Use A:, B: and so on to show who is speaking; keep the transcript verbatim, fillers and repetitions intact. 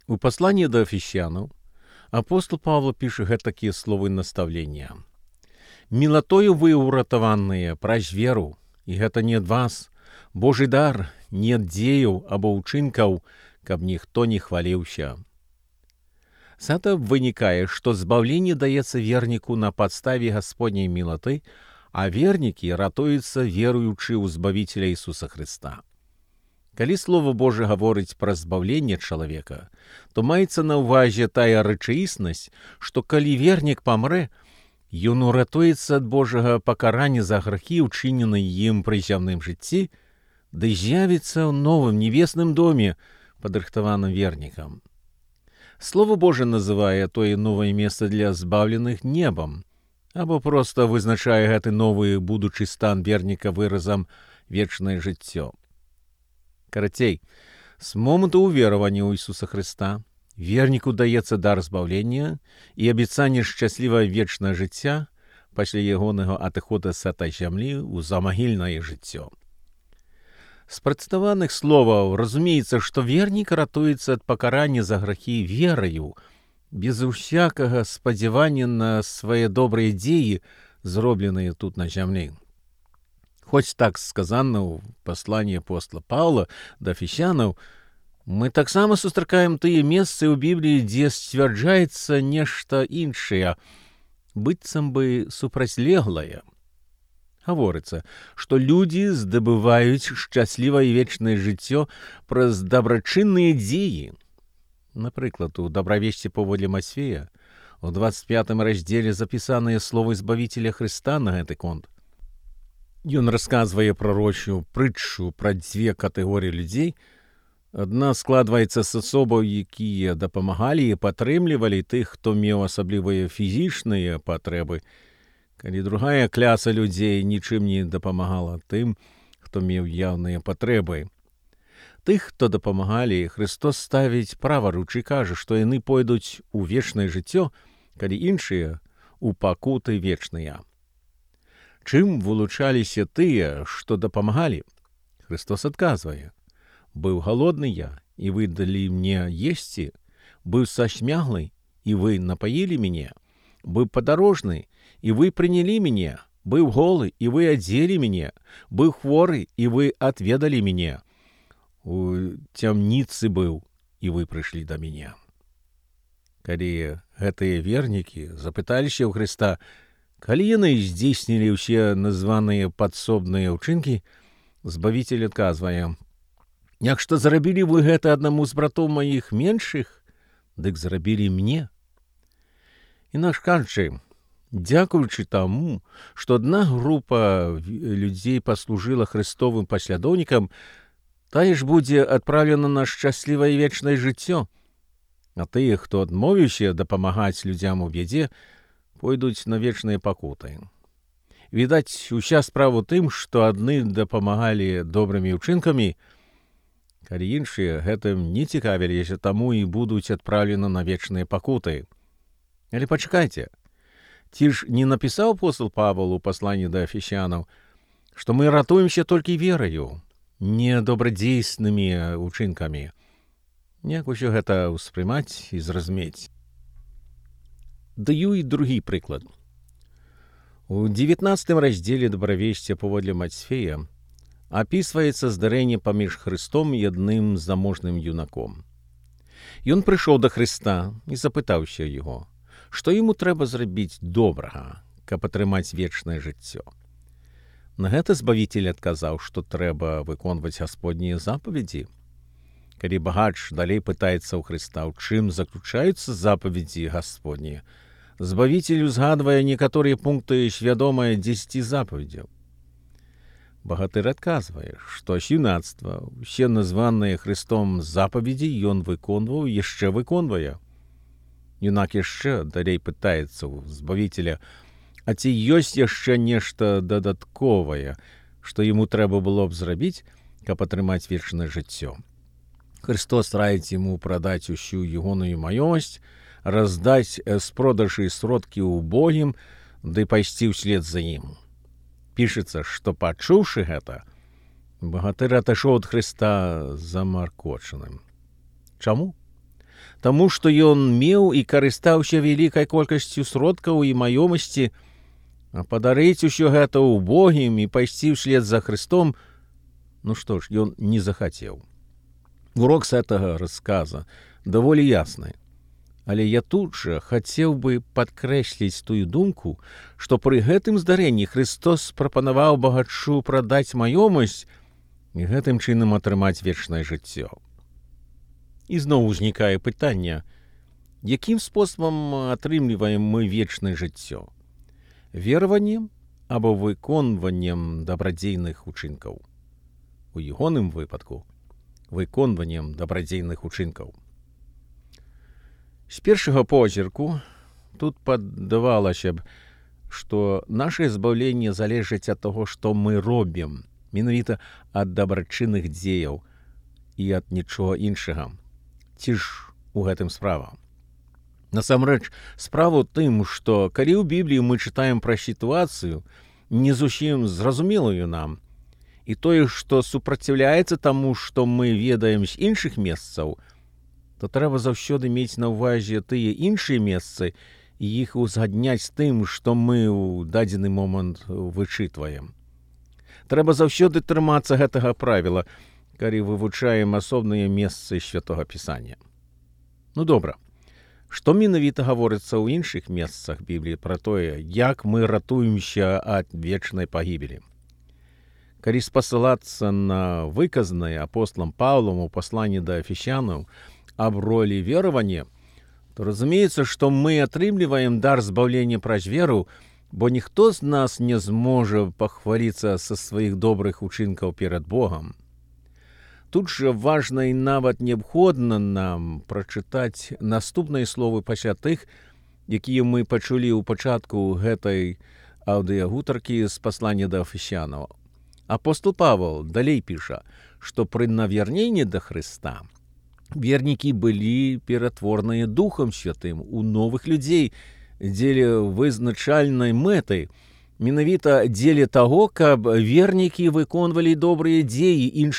A: У послании до Ефесянаў апостол Павла піша гэтакія словы наставлення. «Мілатою вы ўратаваныя праз веру, і гэта не ад вас, Божий дар, не ад дзеяў або ўчынкаў, каб ніхто не хваліўся». З гэта вынікае, што збаўленне даецца верніку на падставе Гасподняй мілаты, а вернікі ратуюцца веруючы ў Збавіцеля Ісуса Хрыста. Калі Слова Божие гаворыць пра збаўленне чалавека, то маецца на ўвазе тая рэчаіснасць, што калі вернік памрэ, ён уратуецца ад Божага пакарання за грахі, учыненыя ім пры зямным жыцці, ды з'явіцца ў новым небесным доме, падрыхтаваным вернікам. Слово Божие называе тое новае месца для збаўленых небам, або проста вызначае гэты новы будучы стан верніка выразам вечнае жыццё. Карацей, з моманту ўверавання ў Ісуса Хрыста верніку даецца дар збаўлення і абяцанне шчаслівае вечнае жыцця пасля ягонага адыхода з гэтай зямлі ў замагільнае жыццё. З прадставаных словаў разумеецца, што вернік ратуецца ад пакарання за грахі вераю, без усякага спадзявання на свае добрыя дзеі, зробленыя тут на зямлі. Хоць так сказана ў пасланні апостола Паўла да Ефесянаў, мы таксама сустракаем тыя месцы ў Бібліі, дзе сцвярджаецца нешта іншае, быццам бы супрацьлеглае. Гаворыцца, што людзі здабываюць шчаслівае вечнае жыццё праз дабрачынныя дзеі. Напрыклад, у дабравесці паводле Мацфея у дваццаць пятым раздзеле запісаныя словы Збавіцеля Хрыста на гэты конт. Ён расказвае прарочую прытчу пра дзве катэгорыі людзей. Адна складваецца з асобаў, якія дапамагалі і падтрымлівалі тых, хто меў асаблівыя фізічныя патрэбы, калі другая кляса людзей нічым не дапамагала тым, хто меў яўныя патрэбы. Тых, хто дапамагалі, Христос ставіць праваруч і кажа, што яны пойдуць у вечнае жыццё, калі іншыя у пакуты вечныя. Чым вылучаліся тыя, што дапамагалі? Христос адказвае: «Быў галодны я, і вы далі мне есці, быў сашмяглы, і вы напаілі мяне, быў падарожны, і вы прынялі мяне, быў голы, і вы адзелі мяне, быў хворы, і вы адведалі мяне, у цямніцы быў, і вы прыйшлі да мяне». Калі гэтыя вернікі запыталіся ў Хрыста, калі яны здзейснілі ўсе названыя падсобныя ўчынкі, Збавіцель адказвае: «Як што зрабілі вы гэта аднаму з братоў маіх меншых, дык зрабілі мне». Інакш кажучы, дзякуючы таму, што адна група людзей паслужыла Хрыстовым паслядоўнікам, тая ж будзе адпраўлена на шчаслівае вечнае жыццё, а тыя, хто адмовіўся дапамагаць людзям у бядзе, пойдуць на вечныя пакуты. Відаць, уся справа ў тым, што адны дапамагалі добрымі ўчынкамі, калі іншыя гэтым не цікавіліся, таму і будуць адпраўлены на вечныя пакуты. Але пачакайце, ці ж не напісаў апостол Павел у пасланні да Ефесянаў, што мы ратуемся толькі вераю, не добрадзейснымі ўчынкамі? Як усё гэта ўспрымаць і зразумець? Даю і другі прыклад. У дзевятнаццатым раздзеле дабравесця паводле Мацфея апісваецца здарэнне паміж Хрыстом і адным заможным юнаком. Ён прыйшоў да Хрыста і запытаўся яго, што яму трэба зрабіць добрага, каб атрымаць вечнае жыццё. На гэта Збавіцель адказаў, што трэба выконваць гасподнія запаведзі. Калі багач далей пытаецца ў Хрыста, у чым заключаюцца запаведзі гасподнія, Збавіцель узгадвае некаторыя пункты свядомыя дзесяці запаведзяў. Багатыр адказвае, што з юнацтва усе названыя Хрыстом запаведзі ён выконваў і яшчэ выконвае. Юнак яшчэ далей пытаецца ў Збавіцеля, а ці ёсць яшчэ нешта дадатковае, што яму трэба было б зрабіць, каб атрымаць вечнае жыццё. Христос раіць яму прадаць усю ягоную маёмасць, раздаць з продажы сродкі ўбогім, ды пайсці ўслед за ім. Пішацца, што, пачуўшы гэта, багатыр атышоў ад Хрыста замаркочаным. Чаму? таму што ён меў і карыстаўся вялікай колькасцю сродкаў і маёмасці, а падарыць усё гэта ўбогім і пайсці ўслед за Христом, ну што ж, ён не захацеў. Урок з гэтага расказа даволі ясны. Але я тут жа хацеў бы падкрэсліць тую думку, што пры гэтым здарэнні Христос прапанаваў багачу прадаць маёмасць і гэтым чынам атрымаць вечнае жыццё. І зноў узнікае пытанне, якім спосабам атрымліваем мы вечнае жыццё? Вераваннем або выконваннем дабрадзейных учынкаў? У ягоным выпадку выконваннем дабрадзейных учынкаў. З першага позірку тут падавалася б, што наше збаўленне залежыць ад таго, што мы робім, менавіта ад дабрачынных дзеяў і ад нічога іншага. Ці ж у гэтым справа? Насамрэч, справа ў тым, што калі ў Бібліі мы чытаем пра сітуацыю, не зусім зразумелую нам, і тое, што супраціўляецца таму, што мы ведаем з іншых месцаў, то трэба заўсёды мець на ўвазе тыя іншыя месцы і іх узгадняць з тым, што мы ў дадзены момант вычытваем. Трэба заўсёды трымацца гэтага правіла, калі вывучаем асобныя месцы Святога Пісання. Ну добра, што менавіта гаворыцца ў іншых месцах Бібліі пра тое, як мы ратуемся ад вечнай пагібелі? Калі спасылацца на выказанае апостолам Паўлам у пасланні да Эфесянаў аб ролі веравання, то разумеецца, што мы атрымліваем дар збаўлення праз веру, бо ніхто з нас не зможа пахваліцца са сваіх добрых учынкаў перад Богам. Тут жа важна і нават неабходна нам прачытаць наступныя словы пасля тых, якія мы пачулі ў пачатку гэтай аўдыягутаркі з паслання да Эфесянаў. Апостол Павел далей піша, што пры навярненні да Хрыста вернікі былі ператворныя Духам Святым у новых людзей дзеля вызначальнай мэты, менавіта дзеля таго, каб вернікі выконвалі добрыя дзеі іншым